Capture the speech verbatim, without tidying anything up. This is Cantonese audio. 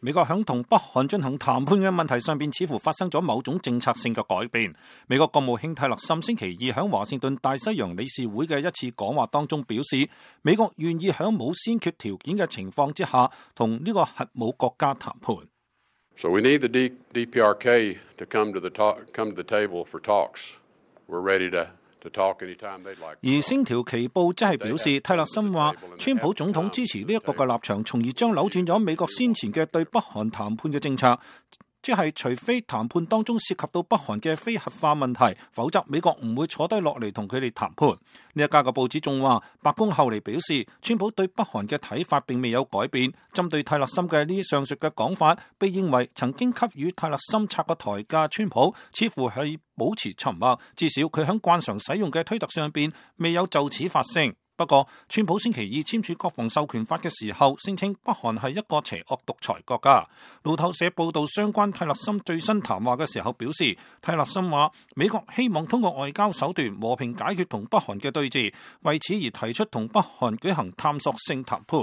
美國響同北韓進行談判嘅問題上邊，似乎發生咗某種政策性嘅改變。美國國務卿泰勒森星期二響華盛頓大西洋理事會嘅一次講話當中表示，美國願意響冇先決條件嘅情況之下，同呢個核武國家談判。So we need the D P R K to come to the talk, come to the table for talks. We're ready to.而星條旗報即係表示，泰勒森話，川普總統支持呢一個嘅立場，從而將扭轉咗美國先前嘅對北韓談判嘅政策，即係除非談判當中涉及到北韓嘅非核化問題，否則美國唔會坐低落嚟同佢哋談判。呢一家嘅報紙仲話，白宮後嚟表示，川普對北韓嘅睇法並未有改變。針對泰勒森嘅呢上述嘅講法，被認為曾經給予泰勒森拆個台嘅川普，似乎係保持沉默，至少佢喺慣常使用嘅推特上邊未有就此發聲。不過，川普星期二簽署國防授權法嘅時候，聲稱北韓係一個邪惡獨裁國家。路透社報道相關泰勒森最新談話嘅時候表示，泰勒森話美國希望通過外交手段和平解決同北韓嘅對峙，為此而提出同北韓舉行探索性談判。